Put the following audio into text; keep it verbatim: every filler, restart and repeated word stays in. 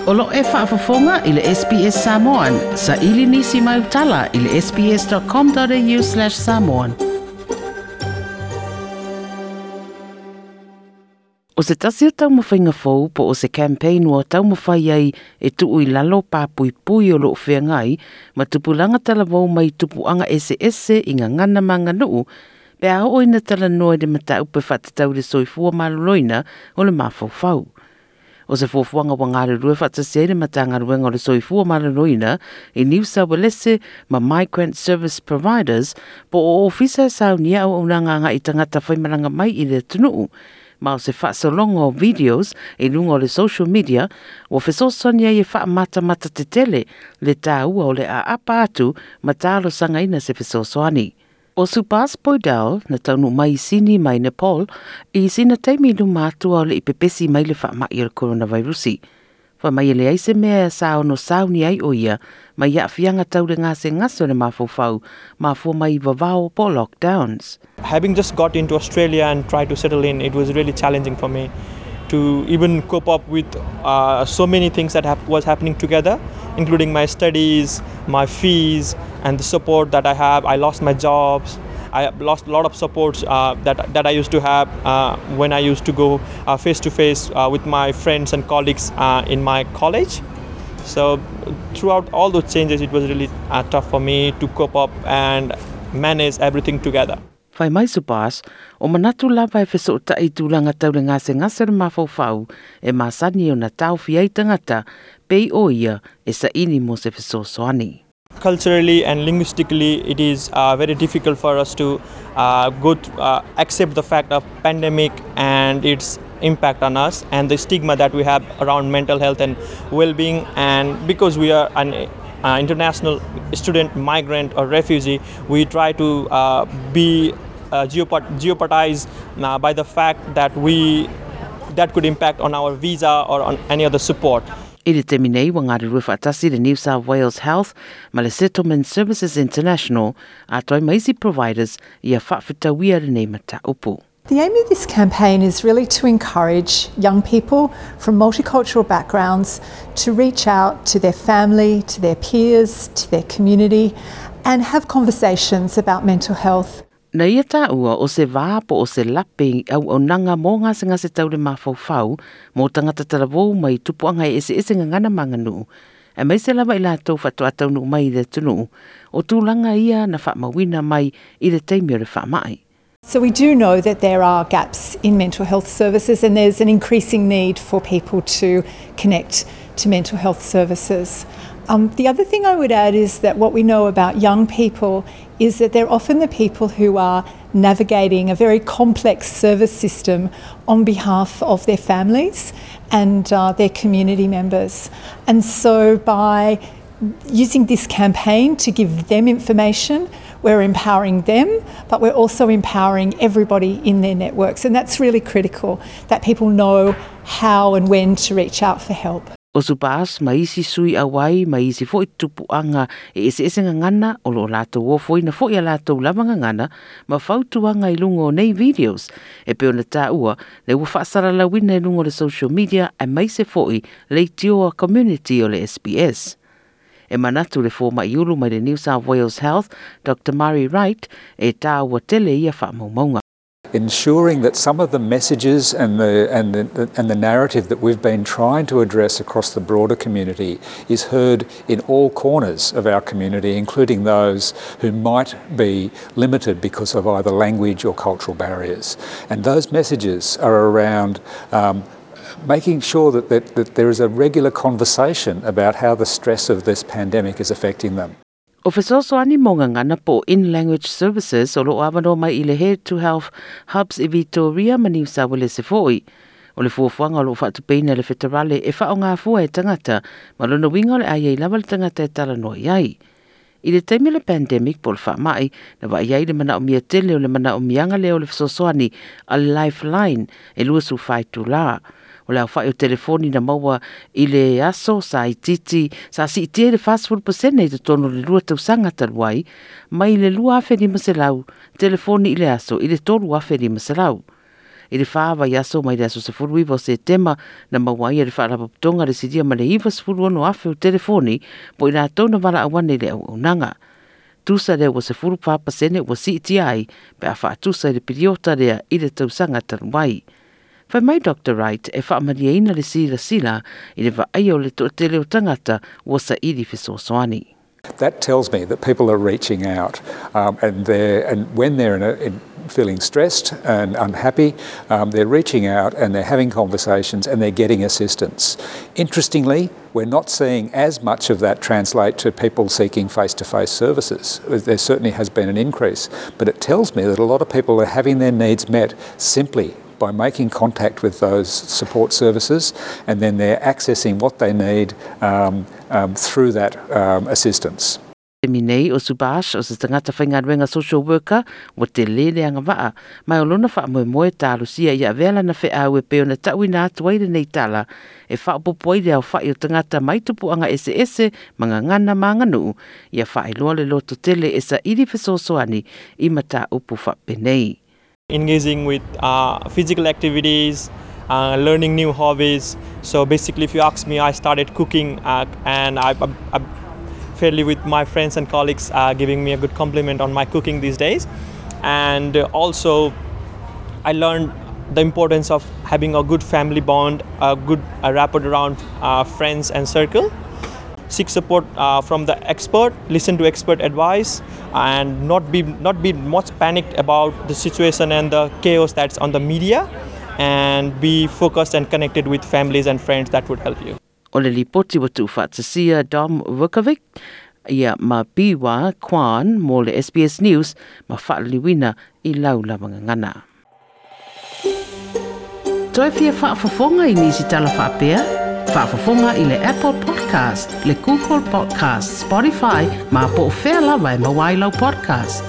O lo e faafofoga i le S B S Samoan, sa ili nisi mai utala i le S B S dot com dot A U slash samoan. O se tasi o taumafaiga fou po o se campaign ua taumafai ai e tuu i lalo papuipui o loo feagai ma tupulaga talavou mai tupuaga eseese i gagana ma aganuu pe a oo ina talanoa i le mataupu e faatatau i le soifua maloloina o le mafaufau. O se fuafuaga ua galulue faatasi ai le Matagaluega o le Soifua Maloloina i New South Wales ma Migrant Service Providers po o ofisa e saunia auaunaga agai tagata faimalaga mai i le atunuu, ma o se faasologa o videos i luga o le social media ua fesoasoani ai e faamatamata tetele le taua o le aapa atu ma talosagaina se fesoasoani. O Subhas Poudel na taunuu mai i Sini mai Nepal i sina taimi i luma atu a o le i pepesi mai le faamai o le coronavirusi. Fai mai e leai se mea sa ono sauni ai o ia mai aafiaga tau le gasegase o le mafaufau mafua mai i vavao po lockdowns. Having just got into Australia and tried to settle in, it was really challenging for me to even cope up with uh, so many things that hap- was happening together, including my studies, my fees, and the support that I have. I lost my jobs. I lost a lot of supports uh, that, that I used to have uh, when I used to go face to face with my friends and colleagues uh, in my college. So throughout all those changes, it was really uh, tough for me to cope up and manage everything together. Fai mai Subhas, o manatu lava e fesootai i tulaga tau le gasegase le mafaufau e masani ona taofi ai tagata pei o ia e saili mo se fesoasoani. Culturally and linguistically, it is uh, very difficult for us to uh, go th- uh, accept the fact of pandemic and its impact on us and the stigma that we have around mental health and well-being. And because we are an uh, international student, migrant or refugee, we try to uh, be uh, jeopard- jeopardized uh, by the fact that we that could impact on our visa or on any other support. I le taimi nei ua galulue faatasi le New South Wales Health ma le Settlement Services International atoa ma isi providers ia faafetauia lenei mataupu. The aim of this campaign is really to encourage young people from multicultural backgrounds to reach out to their family, to their peers, to their community, and have conversations about mental health. Na ia taua o se vā po o se lape auaunaga mo gasegase tau le mafaufau mo tagata talavou mai tupuaga e eseese gagana ma aganuu. Aemaise lava i latou faatoa taunuu mai i le atunuu o tulaga ia na faamauina mai i le taimi o le faamai. So we do know that there are gaps in mental health services and there's an increasing need for people to connect to mental health services. Um, the other thing I would add is that what we know about young people is that they're often the people who are navigating a very complex service system on behalf of their families and uh, their community members. And so by using this campaign to give them information, we're empowering them, but we're also empowering everybody in their networks. And that's really critical, that people know how and when to reach out for help. O Subhas ma isi sui auai ma isi fo'i tupuaga e eseese gagana o loo latou ofoina fo'i a latou lava gagana ma fautuaga i luga o nei videos e pei ona taua le ua faasalalauina i luga o le social media aemaise fo'i leitioa community o le S B S. E manatu le fomai ulu mai le New South Wales Health, Doctor Murray Wright, e taua tele ia faamaumauga. Ensuring that some of the messages and the, and the, and the narrative that we've been trying to address across the broader community is heard in all corners of our community, including those who might be limited because of either language or cultural barriers. And those messages are around um, making sure that, that, that there is a regular conversation about how the stress of this pandemic is affecting them. O fesoasoani mo gagana po in language services o loo avanoa mai i le Head to Health Hubs i Victoria ma New South Wales fo'i. O le fuafuaga o loo faatupeina le feterale e faaogafua e tagata ma lona uiga o le a i ai lava le tagata e talanoa i ai. I le taimi o le pandemic po o le faamai, na vaai ai le manaomia tele o le manaomiaga lea o le fesoasoani a le Lifeline e luasefulu fa itulā. O le aofa'i o telefoni na maua i le aso sa itiiti sa siitia i le fasefulu pasene i totonu o le lua tausaga talu ai, mai le lua afe lima selau telefoni i le aso i le tolu afe lima selau. I le wha vaiaso mai le aso sefulu iwa o Setema na maua ai e le faalapotopotoga le silia ma le iwa sefulu ono afe o telefoni po i latou na valaau ane i le auaunaga. Tusa lea ua sefulu fa pasene ua siitia ai pe a faatusa i le piliota lea i le tausaga talu ai. Fai mai Doctor Wright e faamalieina le silasila i le vaaia o le toatele o tagata ua saili fesoasoani. That tells me that people are reaching out, um, and they're, and when they're in a, in feeling stressed and unhappy, um, they're reaching out and they're having conversations and they're getting assistance. Interestingly, we're not seeing as much of that translate to people seeking face-to-face services. There certainly has been an increase, but it tells me that a lot of people are having their needs met simply by making contact with those support services, and then they're accessing what they need um, um, through that um, assistance. Taimi nei o Subash o se tagata faigaluega social worker ua tele le agavaa ma o lona faamoemoe talosia ia avea lana feau e pei ona taʻuina atu ai lenei tala e faaopoopo ai le aofaʻi o tagata mai tupuaga eseese ma gagana ma aganuu ia faailoa le loto tele e saili fesoasoani i mataupu faapenei. Engaging with uh, physical activities, uh, learning new hobbies. So basically, if you ask me, I started cooking, uh, and I, I, I fairly with my friends and colleagues uh, giving me a good compliment on my cooking these days. And also, I learned the importance of having a good family bond, a good uh, rapport around uh, friends and circle. Seek support uh, from the expert, listen to expert advice, and not be not be much panicked about the situation and the chaos that's on the media, and be focused and connected with families and friends that would help you. O le lipoti ua tuufaatasia Dom Vukovic ia ma Biwa Kwan mo le S B S News ma faaliliuina i lau lava gagana. Toe fia faafofoga i nisi tala faapea? Faafofoga i le Apple Podcast, le Google Podcast, Spotify, ma po o fea lava e maua ai lau podcast.